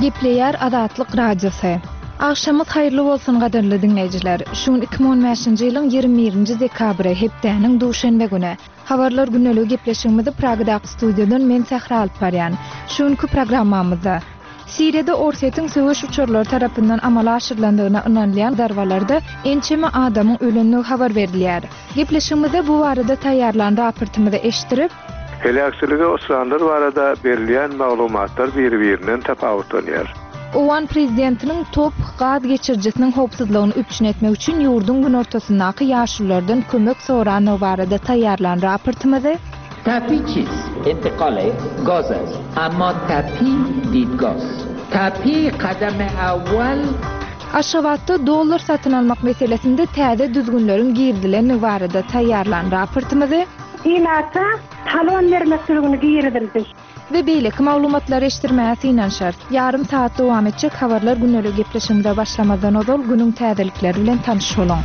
Gepleýär Azatlyk Radiosy. Agşamyz haýyrly bolsun gadyrly diňleýjiler. Şu gün 2015-nji ýylyň 21-nji dekabry, hepdäniň duşenbe güni. Habarlar gündeligi gepleşigimizi Pragadaky studiýadan men Sähra alyp barýan. Şu günki programmamyzda. Siriýada Orsýetiň söweş uçarlary tarapyndan amala aşyrylandygyna ynanylýan zarbalarda ençeme adamyň ölendigi habar berilýär. Gepleşigimizde bu barada taýýarlan raportymyzy eşitdirip, Heläkçilige uçranlar barada berilýän maglumatlar biri-birinden tapawutlanýar. Owgan prezidentiniň TOPH gaz geçirijisiniň howpsuzlygyny üpjün etmek üçin ýurduň günortasyndaky ýaşululardan kömek sorandygy barada taýýarlan raportymyzy, Tapi çiz? Intikal gaz ast. Emma tapi didgah ast. Tapi kadam awwal. Aşgabatda dollar satyn almak meselesinde täze düzgünleriň girizilendigi barada taýýarlan raportymyzy, Ilata talon bermek düzgüni girizildi. We beýleki maglumatlary eşitdirmäge synanyşarys. Ýarym sagat dowam etjek Habarlar gündelik gepleşigimize başlamazdan ozal günüň täzelikleri bilen tanyş boluň.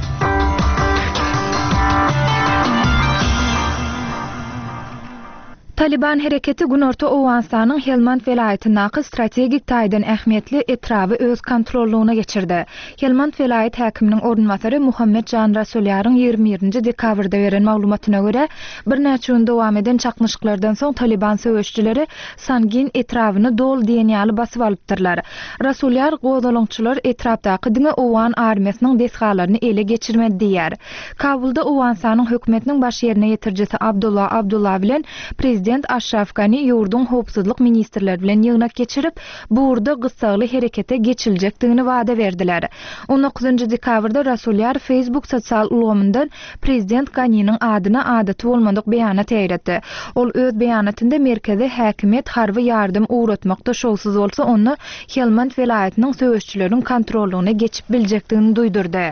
Talyban hereketi günorta Owganystanyň Helmand welaýatyndaky strategik taýdan ähmiýetli etraby öz kontrollygyna geçirdi. Helmand welaýat häkiminiň orunbasary Muhammet Jan Rasulýaryň 21-nji dekabrda beren maglumatyna görä, birnäçe gün dowam eden çaknyşyklardan soň Talyban söweşijileri Sangin etrabyny doly diýen ýaly basyp alypdyrlar. Rasulýar gozgalaňçylar etrapdaky diňe owgan armiýasynyň desgalaryny ele geçirmedi diýýär. Kabulda Owganystanyň hökümetiniň baş ýerine ýetirijisi Abdullah Abdullah bilen prezident Aşraf Gani ýurduň howpsuzlyk ministrleri bilen ýygnak geçirip, bu ugurda gyssagly herekete geçiljekdigini wada berdiler. On dokuzynjy dekabrda Rasulýar Facebook sosial ulgamyndan prezident Ganiniň adyna adaty bolmadyk beýanat ýaýratdy. Ol öz beýanatynda merkezi häkimiýet harby ýardam ugratmakda şowsuz bolsa onda Helmand welaýatynyň söweşçileriň kontrollygyna geçip biljekdigini duýdurdy.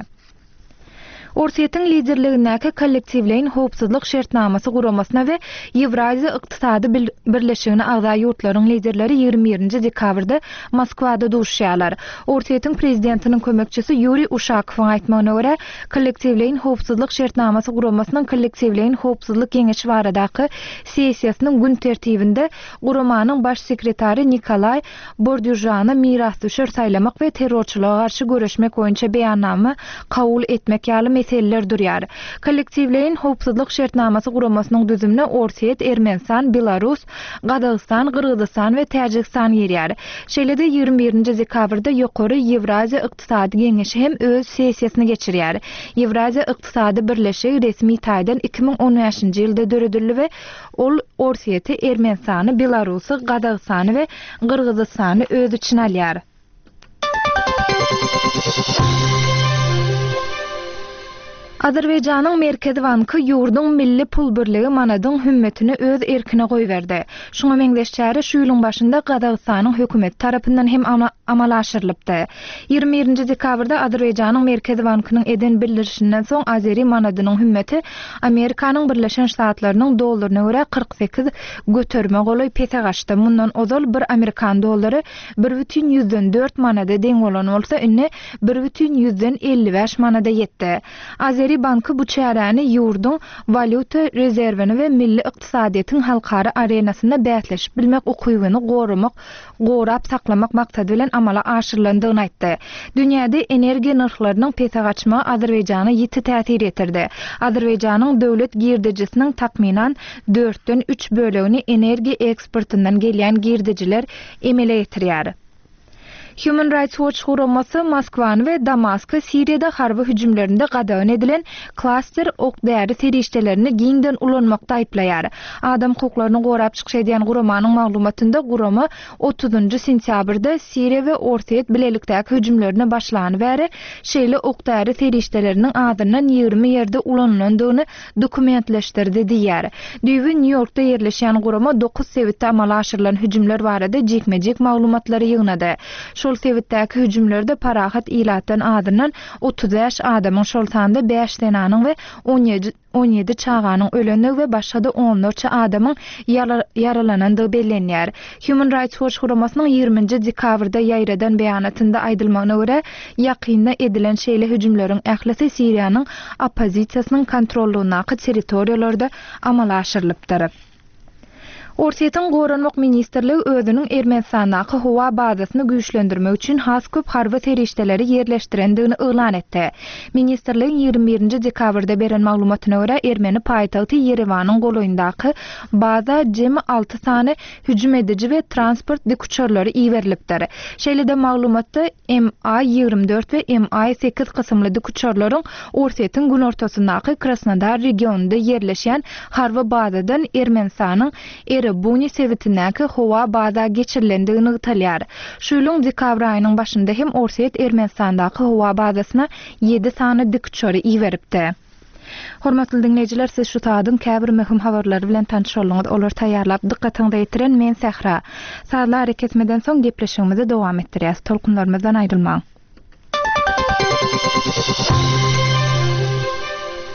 Orsýetiň liderligindäki Kollektiwleýin howpsuzlyk şertnamasy guramasyna we Ýewraziýa ykdysady birleşigine agza ýurtlaryň liderleri 21-nji dekabrda Moskwada duşuşýarlar. Orsýetiň prezidentiniň kömekçisi Ýuriý Uşakowyň aýtmagyna görä, Kollektiwleýin howpsuzlyk şertnamasy guramasynyň Kollektiwleýin howpsuzlyk geňeşi baradaky sessiýasynyň gün tertibinde guramanyň baş sekretary Nikolaý Bordýužany mirasdüşer saýlamak we terrorçylyga garşy göreşmek boýunça beýannama kabul etmek ýaly meseleler durýar. Kollektiwleýin howpsuzlyk şertnamasy guramasynyň düzümine Orsýet, Ermenistan, Belarus, Gazagystan, Gyrgyzystan we Täjigistan girýär. Şeýle-de 21-nji dekabrda Ýokary Ýewraziýa ykdysady geňeşi hem öz sessiýasyny geçirýär. Ýewraziýa ykdysady birleşigi resmi taýdan 2015-nji ýylda döredildi we Ol Orsýeti, Ermenistany, Belarusy, Gazagystany we Gyrgyzystany öz içine alýar. Azerbaýjanyň Merkezi banky ýurduň milli pul birligi manadyň hümmetini öz erkine goýberdi. Şuňa meňzeş çäre şu ýylyň başynda Gazagystanyň hökümeti tarapyndan hem amala aşyrylypdy. 21-nji dekabrda Azerbaýjanyň Merkezi bankynyň eden bildirişinden soň azeri manadynyň hümmeti Amerikanyň Birleşen Ştatlarynyň dollaryna görä 48 göterime golaý pese gaçdy. Mundan ozal bir amerikan dollary 1,4 manada deň bolan bolsa, indi 1,55 manada ýetdi. Azeri banky bu çäräni ýurduň walýuta rezerwini we milli ykdysadyýetiň halkara arenasynda bäsleşip bilmek ukybyny goramak gorap saklamak maksady bilen amala aşyrylandygyny aýtdy. Dünýäde energiýa nyrhlarynyň pese gaçmagy Azerbaýjana ýiti täsir ýetirdi. Azerbaýjanyň döwlet girdejisiniň takmynan dörtden üç bölegini energiýa eksportyndan gelýän girdejiler emele getirýär. Human Rights Watch guramasy Moskwany we Damasky Siriýada harby hüjümlerinde gadagan edilen klaster ok-däri serişdelerini giňden ulanmakda aýyplaýar. Adam hukuklaryny gorap çykyş edýän guramanyň maglumatynda gurama otuzynjy sentýabrda Siriýa we Orsýet bilelikdäki hüjümlerine başlany bäri şeýle ok-däri serişdeleriniň azyndan 20 ýerde ulanylandygyny dokumentleşdirdi diýýär. Düýbi Nýu-Ýorkda ýerleşýän gurama dokuz sebitde amala aşyrylan hüjümler barada jikme-jik maglumatlary ýygnady. Şol sebitdäki hüjümlerde parahat ilatdan azyndan 35 adamyň, şol sanda bäş zenanyň we 17 çaganyň ölendigi we başga-da onlarça adamyň ýaralanandygy bellenýär. Human Rights Watch guramasynyň 20-nji dekabrda ýaýradan beýanatynda aýdylmagyna görä, ýakynda edilen şeýle hüjümleriň ählisi Siriýanyň oppozisiýasynyň kontrollygyndaky territoriýalarda amala aşyrylypdyr. Orsýetiň Goranmak ministrligi özüniň Ermenistandaky howa bazasyny güýçlendirmek üçin has köp harby serişdeleri ýerleşdirendigini yglan etdi. Ministrligiň 21 nji dekabrda beren maglumatyna görä, ermeni paýtagty Ýerewanyň golaýyndaky baza jemi alty sany hüjüm ediji we transport dikuçarlary iberilipdir. Şeýle-de maglumatda MI 24 we MI 8 kysymly dikuçarlaryň Orsýetiň günortasyndaky Krasnodar regionynda ýerleşýän harby bazadan Ermenistanyň Erebuni sebitindäki howa baza geçirilendigi nygtalýar. Şu ýylyň dekabr aýynyň başynda hem Orsýet Ermenistandaky howa bazasyna ýedi sany dikuçary iberipdi. Hormatly diňleýjiler, siz şu sagadyň käbir möhüm habarlary bilen tanyş bolduňyz. Olary taýýarlap, dykgatyňyza ýetiren men Sähra. Sazly arakesmeden soň gepleşigimizi dowam etdirýäs. Tolkunlarymyzdan aýrylmaň.